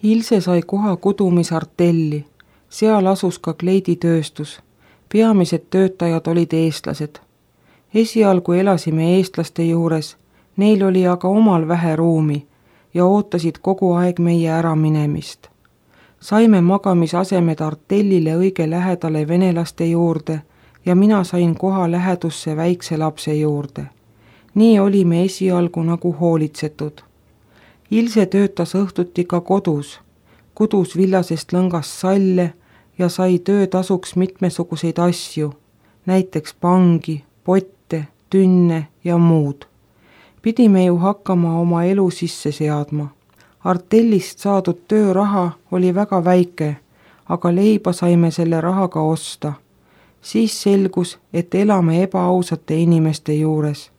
Ilse sai koha kudumisartelli. Seal asus ka kleiditööstus. Peamised töötajad olid eestlased. Esialgu elasime eestlaste juures, neil oli aga omal vähe ruumi ja ootasid kogu aeg meie äraminemist. Saime magamisasemed artellile õige lähedale venelaste juurde ja mina sain koha lähedusse väikse lapse juurde. Nii olime esialgu nagu hoolitsetud. Ilse töötas õhtuti ka kodus, kudus villasest lõngast salle ja sai töötasuks mitmesuguseid asju, näiteks pangi, potte, tünne ja muud. Pidime ju hakkama oma elu sisse seadma. Artellist saadud tööraha oli väga väike, aga leiba saime selle rahaga osta. Siis selgus, et elame ebaausate inimeste juures.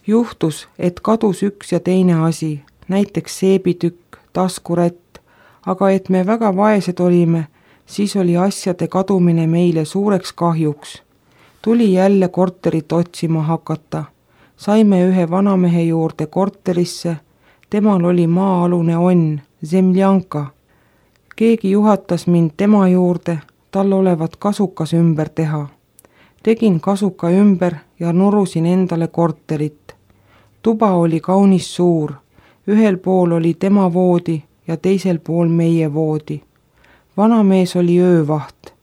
Juhtus, et kadus üks ja teine asi, näiteks seebitükk, taskurätt, aga et me väga vaesed olime, siis oli asjade kadumine meile suureks kahjuks. Tuli jälle korterit otsima hakata. Saime ühe vanamehe juurde korterisse, temal oli maa-alune onn, zemljanka. Keegi juhatas mind tema juurde, tal olevat kasukas ümber teha. Tegin kasuka ümber ja nurusin endale korterit. Tuba oli kaunis suur, ühel pool oli tema voodi ja teisel pool meie voodi. Vanamees oli öövaht.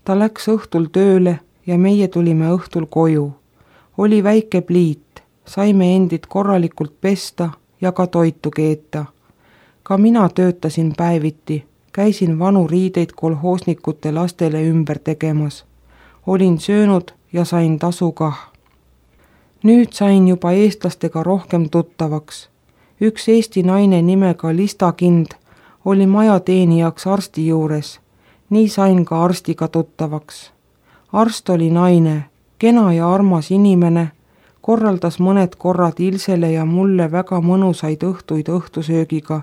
Ta läks õhtul tööle ja meie tulime õhtul koju. Oli väike pliit, saime endid korralikult pesta ja ka toitu keeta. Ka mina töötasin päeviti, käisin vanu riideid kolhoosnikute lastele ümber tegemas. Olin söönud ja sain tasu kah. Nüüd sain juba eestlastega rohkem tuttavaks. Üks eesti naine nimega Lista Kind oli majateenijaks arsti juures. Nii sain ka arstiga tuttavaks. Arst oli naine, kena ja armas inimene, korraldas mõned korrad Ilsele ja mulle väga mõnusaid õhtuid õhtusöögiga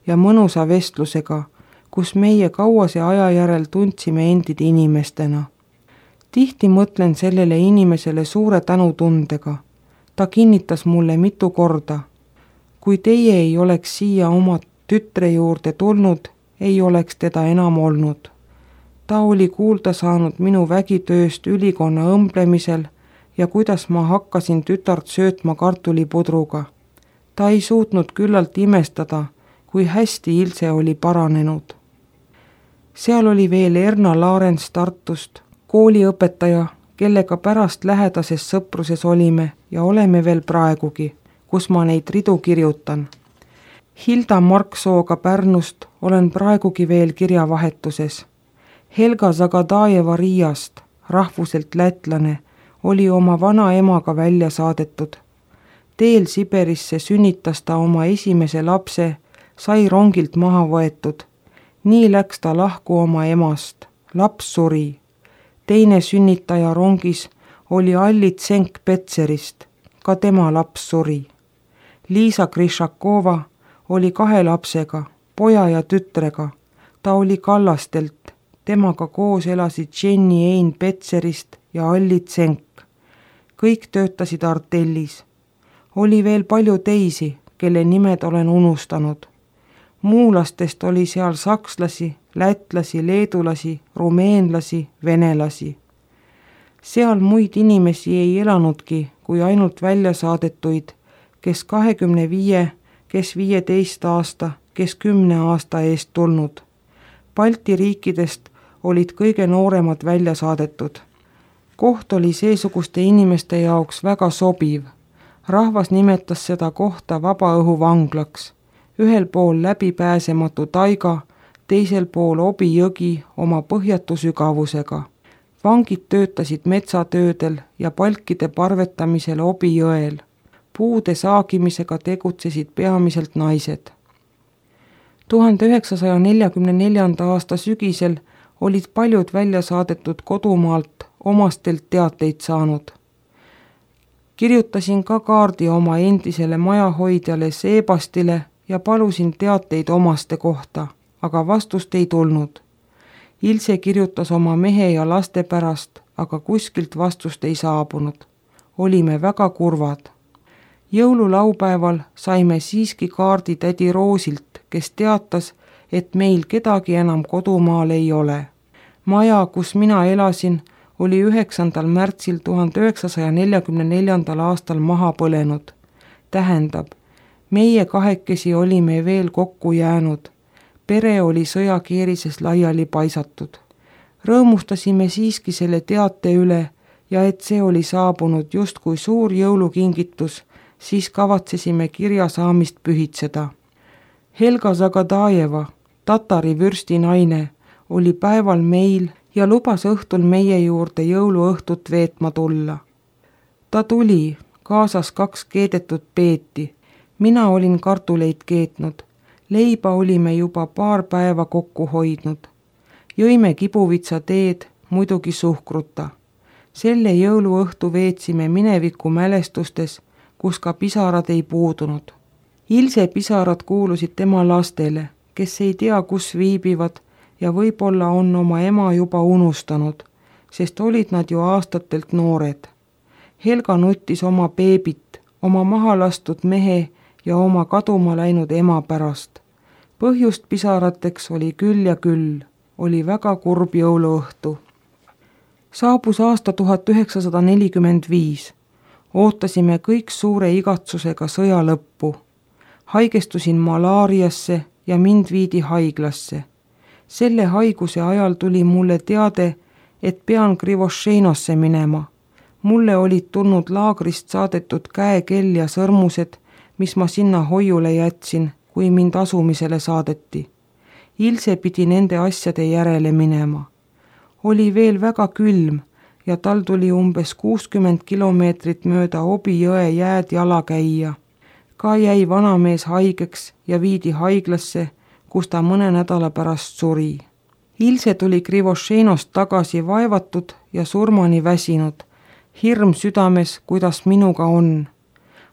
ja mõnusa vestlusega, kus meie kauase aja järel tundsime endid inimestena. Tihti mõtlen sellele inimesele suure tänutundega. Ta kinnitas mulle mitu korda. Kui teie ei oleks siia oma tütre juurde tulnud, ei oleks teda enam olnud. Ta oli kuulda saanud minu vägitööst ülikonna õmblemisel ja kuidas ma hakkasin tütart söötma kartulipudruga. Ta ei suutnud küllalt imestada, kui hästi Ilse oli paranenud. Seal oli veel Erna Laarens Tartust, kooliõpetaja, kellega pärast lähedases sõpruses olime ja oleme veel praegugi, kus ma neid ridu kirjutan. Hilda Marksooga Pärnust olen praegugi veel kirjavahetuses. Helga Zagadajeva Riiast, rahvuselt lätlane, oli oma vana emaga välja saadetud. Teel Siberisse sünnitas ta oma esimese lapse, sai rongilt maha võetud. Nii läks ta lahku oma emast. Laps suri. Teine sünnitaja rongis oli Allit Senk-Petserist. Ka tema laps suri. Liisa Krišakova oli 2 lapsega, poja ja tütrega. Ta oli Kallastelt. Temaga koos elasid Jenny Ein Petserist ja Allit Senk. Kõik töötasid artellis. Oli veel palju teisi, kelle nimed olen unustanud. Muulastest oli seal sakslasi, lätlasi, leedulasi, rumeenlasi, venelasi. Seal muid inimesi ei elanudki, kui ainult välja saadetuid, kes 25, kes 15 aasta, kes 10 aasta eest tulnud. Balti riikidest olid kõige nooremad välja saadetud. Koht oli seesuguste inimeste jaoks väga sobiv. Rahvas nimetas seda kohta vabaõhuvanglaks. Ühel pool läbipääsematu taiga, teisel pool Obi jõgi oma põhjatu sügavusega. Vangid töötasid metsatöödel ja palkide parvetamisel Obi jõel. Puude saagimisega tegutsesid peamiselt naised. 1944. aasta sügisel olid paljud välja saadetud kodumaalt omastelt teateid saanud. Kirjutasin ka kaardi oma endisele majahoidjale Seebastile ja palusin teateid omaste kohta, aga vastust ei tulnud. Ilse kirjutas oma mehe ja laste pärast, aga kuskilt vastust ei saabunud. Olime väga kurvad. Jõululaupäeval saime siiski kaardi tädi Roosilt, kes teatas, et meil kedagi enam kodumaal ei ole. Maja, kus mina elasin, oli 9. märtsil 1944. aastal maha põlenud. Tähendab, meie kahekesi olime veel kokku jäänud. Pere oli sõjakeerises laiali paisatud. Rõõmustasime siiski selle teate üle ja et see oli saabunud justkui suur jõulukingitus, siis kavatsesime kirja saamist pühitseda. Helga Zagadajeva, tatari vürsti naine, oli päeval meil ja lubas õhtul meie juurde jõuluõhtut veetma tulla. Ta tuli, kaasas 2 keedetud peeti. Mina olin kartuleid keetnud. Leiba olime juba paar päeva kokku hoidnud. Jõime kibuvitsa teed, muidugi suhkruta. Selle jõuluõhtu veetsime mineviku mälestustes, kus ka pisarad ei puudunud. Ilse pisarad kuulusid tema lastele, kes ei tea, kus viibivad ja võib-olla on oma ema juba unustanud, sest olid nad ju aastatelt noored. Helga nuttis oma beebit, oma maha lastud mehe ja oma kaduma läinud ema pärast. Põhjust pisarateks oli küll ja küll, oli väga kurb jõuluõhtu. Saabus aasta 1945. Ootasime kõik suure igatsusega sõja lõppu. Haigestusin malaariasse ja mind viidi haiglasse. Selle haiguse ajal tuli mulle teade, et pean Krivošeinosse minema. Mulle olid tulnud laagrist saadetud käekell ja sõrmused, mis ma sinna hoiule jätsin, kui mind asumisele saadeti. Ilse pidi nende asjade järele minema. Oli veel väga külm ja tal tuli umbes 60 kilomeetrit mööda Obi jõe jääd jala käia. Ka jäi vanamees haigeks ja viidi haiglasse, kus ta mõne nädala pärast suri. Ilse tuli Krivošeinost tagasi vaevatud ja surmani väsinud. Hirm südames, kuidas minuga on.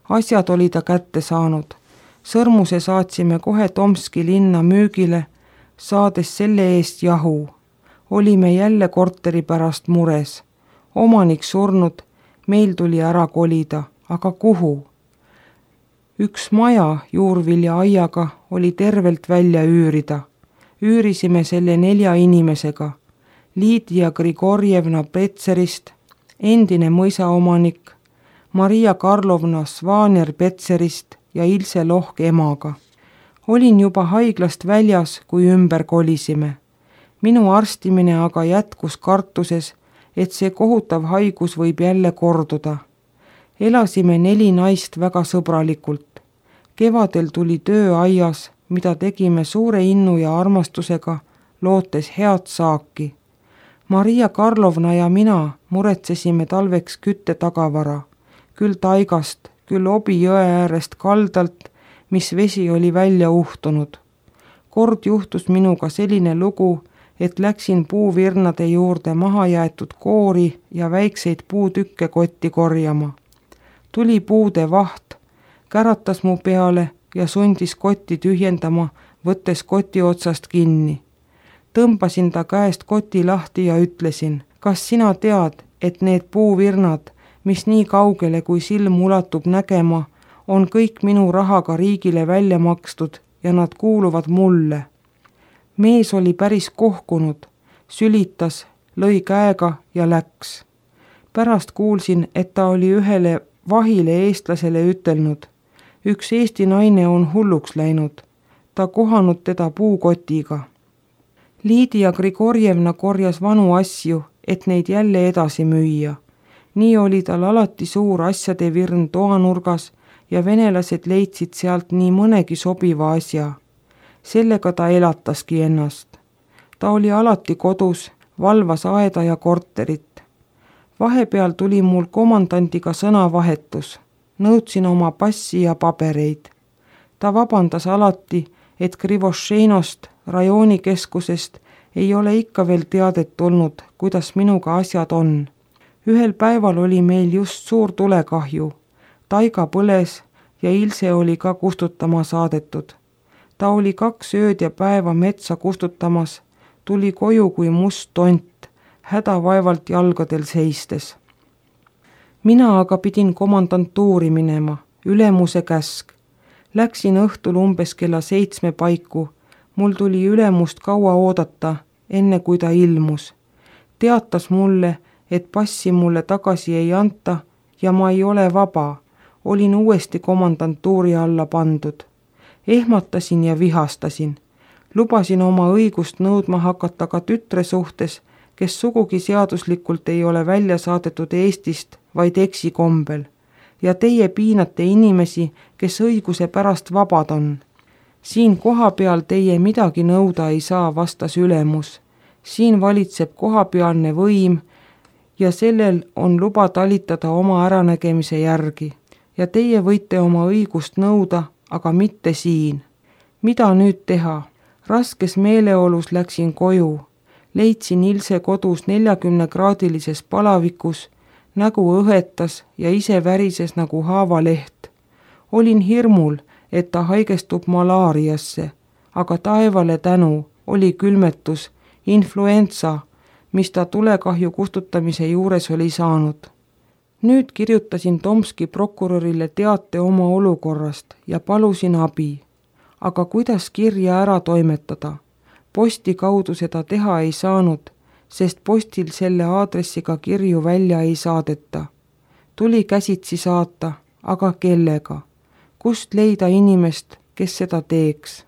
Asjad oli ta kätte saanud. Sõrmuse saatsime kohe Tomski linna müügile, saades selle eest jahu. Olime jälle korteri pärast mures. Omanik surnud, meil tuli ära kolida, aga kuhu? Üks maja juurvilja aiaga oli tervelt välja üürida. Üürisime selle 4 inimesega. Liidia Grigorjevna Petserist, endine mõisaomanik, Maria Karlovna Svaner-Petserist ja Ilse Lohk emaga. Olin juba haiglast väljas, kui ümber kolisime. Minu arstimine aga jätkus kartuses, et see kohutav haigus võib jälle korduda. Elasime 4 naist väga sõbralikult. Kevadel tuli töö aias, mida tegime suure innu ja armastusega, lootes head saaki. Maria Karlovna ja mina muretsesime talveks kütte tagavara, küll taigast, küll Obi jõe äärest kaldalt, mis vesi oli välja uhtunud. Kord juhtus minuga selline lugu, et läksin puuvirnade juurde maha jäetud koori ja väikseid puutükke kotti korjama. Tuli puude vaht, käratas mu peale ja sundis kotti tühjendama, võttes koti otsast kinni. Tõmbasin ta käest koti lahti ja ütlesin, kas sina tead, et need puuvirnad, mis nii kaugele kui silm ulatub nägema, on kõik minu rahaga riigile välja makstud ja nad kuuluvad mulle. Mees oli päris kohkunud, sülitas, lõi käega ja läks. Pärast kuulsin, et ta oli ühele vahile eestlasele ütelnud, üks eesti naine on hulluks läinud, ta kohanud teda puukotiga. Liidia Grigorjevna korjas vanu asju, et neid jälle edasi müüa. Nii oli tal alati suur asjade virn toanurgas ja venelased leidsid sealt nii mõnegi sobiva asja. Sellega ta elataski ennast. Ta oli alati kodus, valvas aeda ja korterit. Vahepeal tuli mul komandandiga sõnavahetus. Nõudsin oma passi ja pabereid. Ta vabandas alati, et Krivošeinost, rajoonikeskusest, ei ole ikka veel teadet tulnud, kuidas minuga asjad on. Ühel päeval oli meil just suur tulekahju. Taiga põles ja Ilse oli ka kustutama saadetud. Ta oli 2 ööd ja päeva metsa kustutamas, tuli koju kui must tont, hädavaevalt jalgadel seistes. Mina aga pidin komandantuuri minema, ülemuse käsk. Läksin õhtul umbes kella 7 paiku, Mul tuli ülemust kaua oodata, enne kui ta ilmus. Teatas mulle, et passi mulle tagasi ei anta ja ma ei ole vaba. Olin uuesti komandantuuri alla pandud. Ehmatasin ja vihastasin. Lubasin oma õigust nõudma hakata ka tütre suhtes, kes sugugi seaduslikult ei ole välja saadetud Eestist, vaid eksikombel. Ja teie piinate inimesi, kes õiguse pärast vabad on. Siin kohapeal teie midagi nõuda ei saa, vastas ülemus. Siin valitseb kohapealne võim ja sellel on luba talitada oma äranägemise järgi. Ja teie võite oma õigust nõuda, aga mitte siin. Mida nüüd teha? Raskes meeleolus läksin koju. Leidsin Ilse kodus 40-kraadilises palavikus, nägu õhetas ja ise värises nagu haavaleht. Olin hirmul, et ta haigestub malaariasse, aga taevale tänu oli külmetus, influenza, mis ta tulekahju kustutamise juures oli saanud. Nüüd kirjutasin Tomski prokurörile teate oma olukorrast ja palusin abi. Aga kuidas kirja ära toimetada? Posti kaudu seda teha ei saanud, sest postil selle aadressiga kirju välja ei saadeta. Tuli käsitsi saata, aga kellega? Kust leida inimest, kes seda teeks?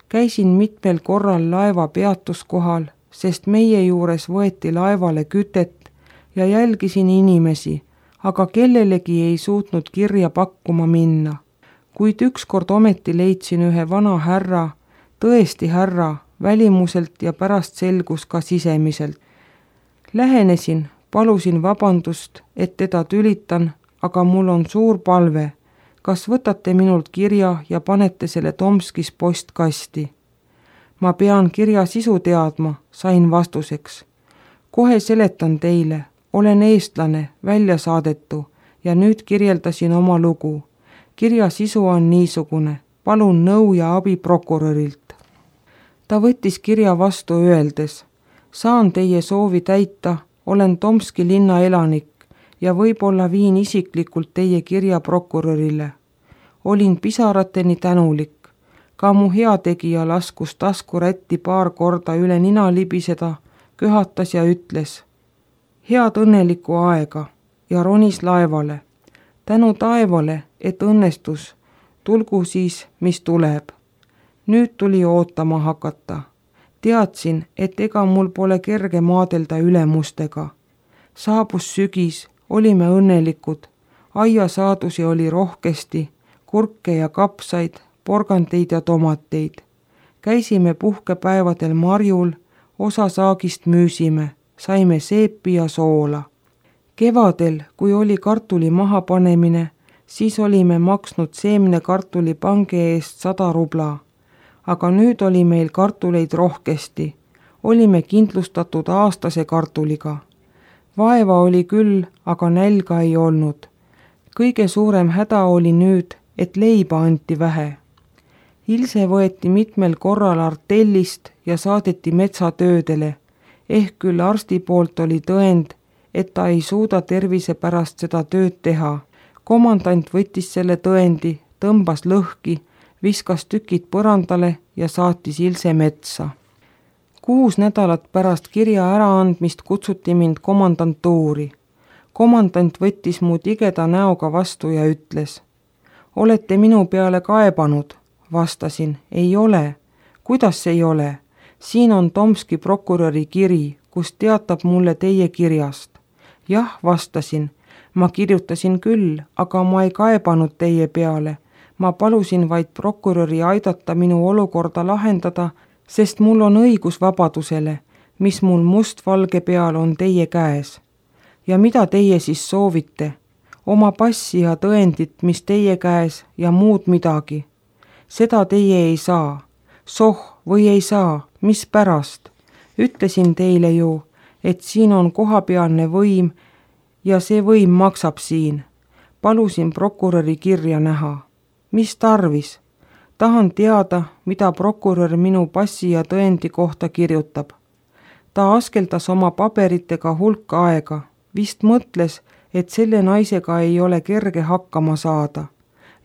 Käisin mitmel korral laeva peatuskohal, sest meie juures võeti laevale kütet ja jälgisin inimesi, aga kellelegi ei suutnud kirja pakkuma minna. Kuid ükskord ometi leidsin ühe vana härra, tõesti härra, välimuselt ja pärast selgus ka sisemiselt. Lähenesin, palusin vabandust, et teda tülitan, aga mul on suur palve. Kas võtate minult kirja ja panete selle Tomskis postkasti? Ma pean kirja sisu teadma, sain vastuseks. Kohe seletan teile, olen eestlane, välja saadetu ja nüüd kirjeldasin oma lugu. Kirja sisu on niisugune, palun nõu ja abi prokurörilt. Ta võttis kirja vastu öeldes, saan teie soovi täita, olen Tomski linna elanik ja võib-olla viin isiklikult teie kirja prokurörile. Olin pisarateni tänulik. Ka mu heategija laskus taskurätti paar korda üle nina libiseda, köhatas ja ütles, head õnnelikku aega ja ronis laevale. Tänu taevale, et õnnestus, tulgu siis, mis tuleb. Nüüd tuli ootama hakata. Teadsin, et ega mul pole kerge maadelda ülemustega. Saabus sügis, olime õnnelikud. Aiasaadusi oli rohkesti, kurke ja kapsaid, porgandeid ja tomateid. Käisime puhkepäevadel marjul, osa saagist müüsime, saime seepi ja soola. Kevadel, kui oli kartuli mahapanemine, siis olime maksnud seemnekartuli pange eest 100 rubla. Aga nüüd oli meil kartuleid rohkesti. Olime kindlustatud aastase kartuliga. Vaeva oli küll, aga nälga ei olnud. Kõige suurem häda oli nüüd, et leiba anti vähe. Ilse võeti mitmel korral artellist ja saadeti metsatöödele. Ehk küll arsti poolt oli tõend, et ta ei suuda tervise pärast seda tööd teha. Komandant võttis selle tõendi, tõmbas lõhki, viskas tükid põrandale ja saatis Ilse metsa. 6 nädalat pärast kirja äraandmist kutsuti mind komandantuuri. Komandant võttis mu tigeda näoga vastu ja ütles, olete minu peale kaebanud? Vastasin, ei ole. Kuidas ei ole? Siin on Tomski prokuröri kiri, kus teatab mulle teie kirjast. Jah, vastasin, ma kirjutasin küll, aga ma ei kaebanud teie peale. Ma palusin vaid prokuröri aidata minu olukorda lahendada, sest mul on õigus vabadusele, mis mul mustvalge peal on teie käes. Ja mida teie siis soovite? Oma passi ja tõendit, mis teie käes ja muud midagi. Seda teie ei saa. Soh või ei saa, mis pärast? Ütlesin teile ju, et siin on kohapealne võim ja see võim maksab siin. Palusin prokuröri kirja näha. Mis tarvis? Tahan teada, mida prokurör minu passi ja tõendi kohta kirjutab. Ta askeldas oma paberitega hulk aega. Vist mõtles, et selle naisega ei ole kerge hakkama saada.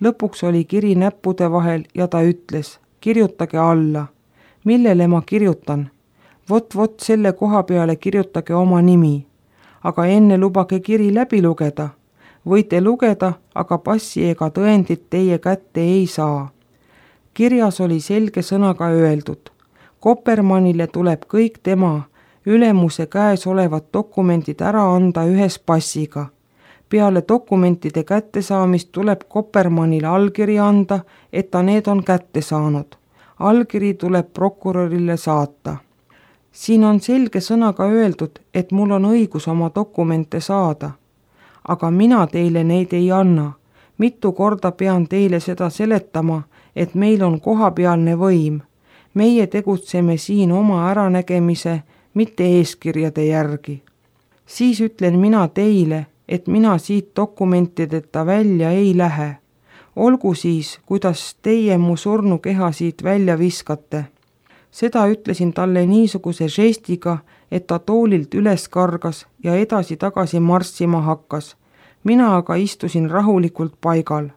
Lõpuks oli kiri näppude vahel ja ta ütles, kirjutage alla. millele ma kirjutan? Vot selle koha peale kirjutage oma nimi. Aga enne lubage kiri läbi lugeda. Võite lugeda, aga passi ega tõendit teie kätte ei saa. Kirjas oli selge sõnaga öeldud. Kopermannile tuleb kõik tema ülemuse käes olevad dokumendid ära anda ühes passiga. Peale dokumentide kättesaamist tuleb Kopermannile allkiri anda, et ta need on kätte saanud. Allkiri tuleb prokurörile saata. Siin on selge sõnaga öeldud, et mul on õigus oma dokumente saada. Aga mina teile neid ei anna. Mitu korda pean teile seda seletama, et meil on kohapealne võim. Meie tegutseme siin oma äranägemise, mitte eeskirjade järgi. Siis ütlen mina teile, et mina siit dokumentideta välja ei lähe. Olgu siis, kuidas teie mu surnukeha siit välja viskate. Seda ütlesin talle niisuguse žestiga, et ta toolilt üles kargas ja edasi-tagasi marssima hakkas. Mina aga istusin rahulikult paigal.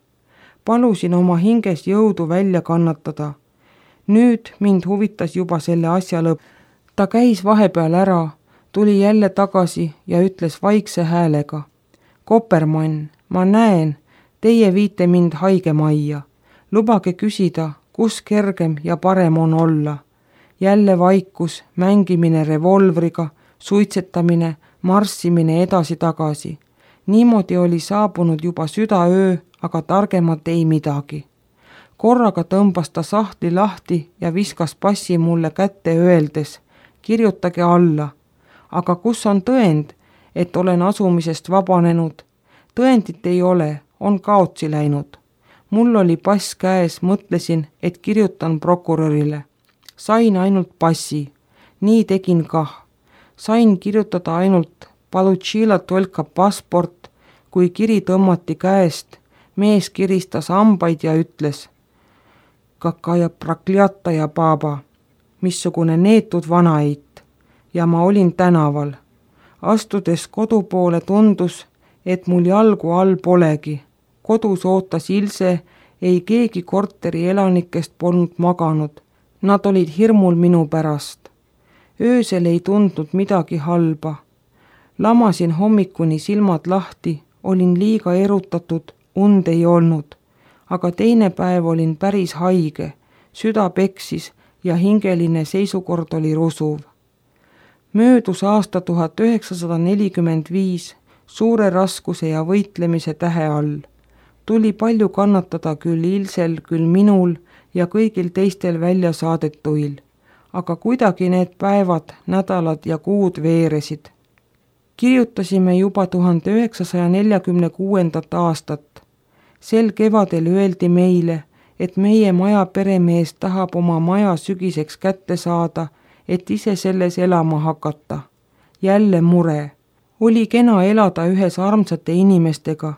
Palusin oma hinges jõudu välja kannatada. Nüüd mind huvitas juba selle asja lõpp. Ta käis vahepeal ära, tuli jälle tagasi ja ütles vaikse häälega. Kopermann, ma näen, teie viite mind haigemajja. Lubage küsida, kus kergem ja parem on olla. Jälle vaikus, mängimine revolvriga, suitsetamine, marssimine edasi-tagasi. Niimoodi oli saabunud juba südaöö, aga targemat ei midagi. Korraga tõmbas ta sahtli lahti ja viskas passi mulle kätte öeldes, kirjutage alla. Aga kus on tõend, et olen asumisest vabanenud? Tõendit ei ole, on kaotsi läinud. Mul oli pass käes, mõtlesin, et kirjutan prokurörile. Sain ainult passi. Nii tegin kah. Sain kirjutada ainult Palutšila tolka passport, kui kiri tõmmati käest. Mees kiristas hambaid ja ütles, Kakaja prakljata ja baba, missugune neetud vanaeit. Ja ma olin tänaval. Astudes kodu poole tundus, et mul jalgu all polegi. Kodus ootas Ilse, ei keegi korteri elanikest polnud maganud. Nad olid hirmul minu pärast. Öösel ei tundnud midagi halba. Lamasin hommikuni silmad lahti, olin liiga erutatud, und ei olnud. Aga teine päev olin päris haige, süda peksis ja hingeline seisukord oli rusuv. Möödus aasta 1945 suure raskuse ja võitlemise tähe all. Tuli palju kannatada küll Ilsel, küll minul ja kõigil teistel välja saadetuil. Aga kuidagi need päevad, nädalad ja kuud veeresid. Kirjutasime juba 1946. aastat. Sel kevadel öeldi meile, et meie maja peremees tahab oma maja sügiseks kätte saada, et ise selles elama hakata. Jälle mure. Oli kena elada ühes armsate inimestega.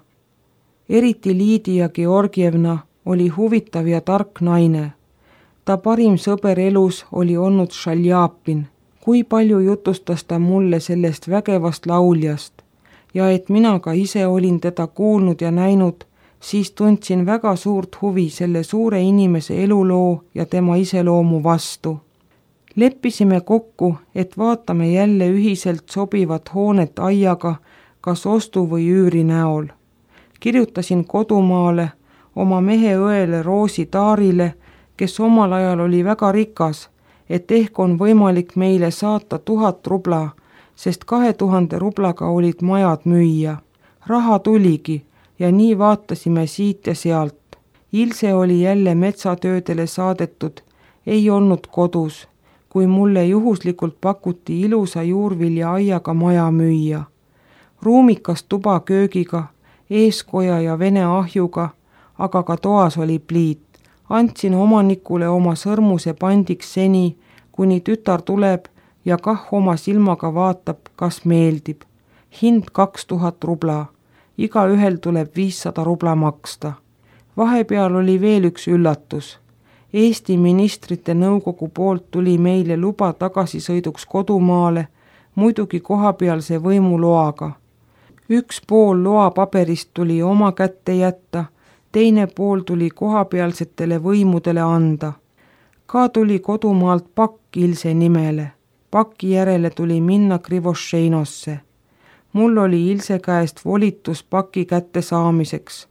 Eriti Liidia Georgievna oli huvitav ja tark naine. Ta parim sõber elus oli olnud Šaljapin. Kui palju jutustas ta mulle sellest vägevast lauljast ja et mina ka ise olin teda kuulnud ja näinud, siis tundsin väga suurt huvi selle suure inimese eluloo ja tema iseloomu vastu. Leppisime kokku, et vaatame jälle ühiselt sobivat hoonet aiaga, kas ostu või üüri näol. Kirjutasin kodumaale, oma mehe õele Roosi Taarile, kes omal ajal oli väga rikas, et ehk on võimalik meile saata 1000 rubla, sest 2000 rublaga olid majad müüa. Raha tuligi ja nii vaatasime siit ja sealt. Ilse oli jälle metsatöödele saadetud, ei olnud kodus, kui mulle juhuslikult pakuti ilusa juurvilja aiaga maja müüa. Ruumikas tuba köögiga, eeskoja ja vene ahjuga, aga ka toas oli pliit. Andsin omanikule oma sõrmuse pandiks seni, kuni tütar tuleb ja kah oma silmaga vaatab, kas meeldib. Hind 2000 rubla. Igaühel tuleb 500 rubla maksta. Vahepeal oli veel üks üllatus. Eesti ministrite nõukogu poolt tuli meile luba tagasisõiduks kodumaale, muidugi kohapealse võimu loaga. Üks pool loapaberist tuli oma kätte jätta, teine pool tuli kohapealsetele võimudele anda. Ka tuli kodumaalt pakk Ilse nimele. Paki järele tuli minna Krivošeinosse. Mul oli Ilse käest volitus paki kätte saamiseks.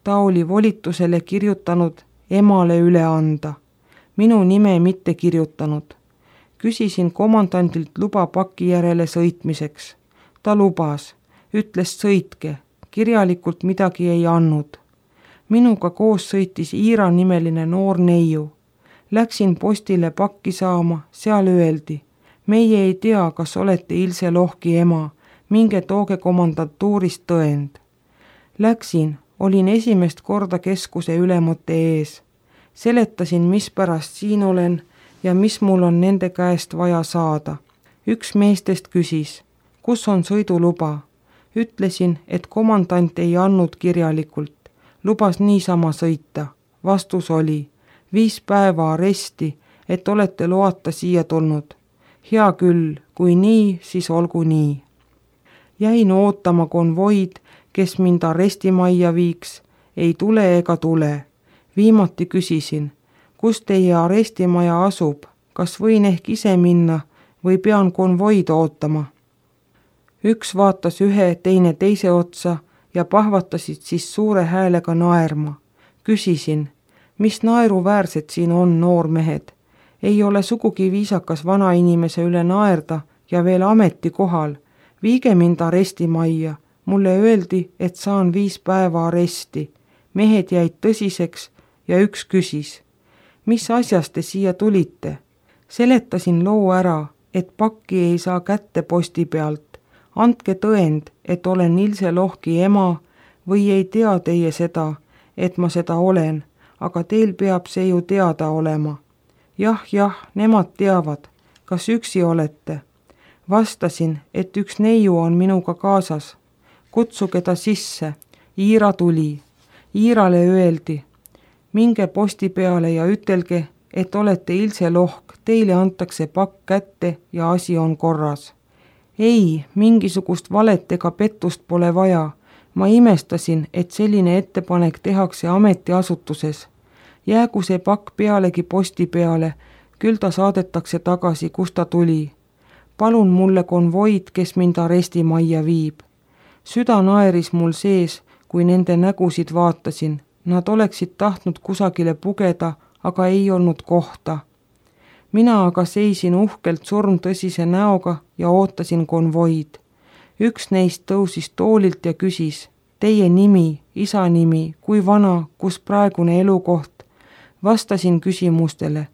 Ta oli volitusele kirjutanud emale üle anda. Minu nime mitte kirjutanud. Küsisin komandandilt luba paki järele sõitmiseks. Ta lubas, ütles sõitke, kirjalikult midagi ei andnud. Minuga koos sõitis Iira nimeline noor neiu. Läksin postile pakki saama, seal öeldi, meie ei tea, kas olete Ilse Lohki ema, minge tooge komandantuurist tõend. Läksin, olin esimest korda keskuse ülemate ees. Seletasin, mispärast siin olen ja mis mul on nende käest vaja saada. Üks meestest küsis, kus on sõiduluba. Ütlesin, et komandant ei andnud kirjalikult, lubas niisama sõita. Vastus oli, 5 päeva aresti, et olete loata siia tulnud. Hea küll, kui nii, siis olgu nii. Jäin ootama konvoid, kes mind arestimajja viiks, ei tule ega tule. Viimati küsisin, kus teie arestimaja asub, kas võin ehk ise minna või pean konvoid ootama. Üks vaatas ühe, teine teise otsa ja pahvatasid siis suure häälega naerma. Küsisin, mis naeruväärsed siin on, noormehed? Ei ole sugugi viisakas vanainimese üle naerda ja veel ametikohal. Viige mind arestimajja. Mulle öeldi, et saan 5 päeva aresti. Mehed jäid tõsiseks ja üks küsis, mis asjast te siia tulite? Seletasin loo ära, et pakki ei saa kätte posti pealt. Andke tõend, et olen Ilse Lohki ema või ei tea teie seda, et ma seda olen, aga teil peab see ju teada olema. Jah, nemad teavad, kas üksi olete. Vastasin, et üks neiu on minuga kaasas. Kutsuge ta sisse. Iira tuli. Iirale öeldi, minge posti peale ja ütelge, et olete Ilse Lohk, teile antakse pakk kätte ja asi on korras. Ei, mingisugust valet ega pettust pole vaja. Ma imestasin, et selline ettepanek tehakse ametiasutuses. Jäägu see pakk pealegi posti peale, küll ta saadetakse tagasi, kus ta tuli. Palun mulle konvoid, kes mind arestimajja viib. Süda naeris mul sees, kui nende nägusid vaatasin. Nad oleksid tahtnud kusagile pugeda, aga ei olnud kohta. Mina aga seisin uhkelt surmtõsise näoga ja ootasin konvoid. Üks neist tõusis toolilt ja küsis, teie nimi, isa nimi, kui vana, kus praegune elukoht? Vastasin küsimustele.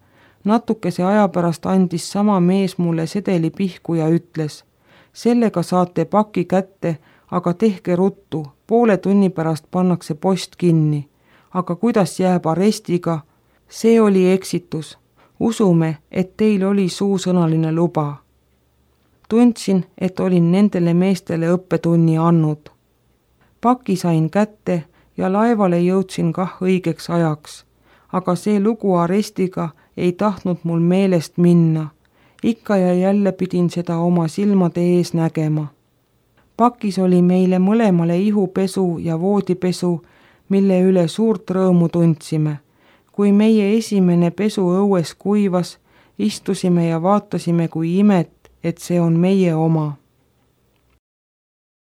Natukese aja pärast andis sama mees mulle sedeli pihku ja ütles, sellega saate paki kätte, aga tehke ruttu, poole tunni pärast pannakse post kinni. Aga kuidas jääb arestiga? See oli eksitus. Usume, et teil oli suusõnaline luba. Tundsin, et olin nendele meestele õppetunni andnud. Paki sain kätte ja laevale jõudsin kah õigeks ajaks, aga see lugu arestiga ei tahtnud mul meelest minna. Ikka ja jälle pidin seda oma silmade ees nägema. Pakis oli meile mõlemale ihupesu ja voodipesu, mille üle suurt rõõmu tundsime. Kui meie esimene pesu õues kuivas, istusime ja vaatasime kui imet, et see on meie oma.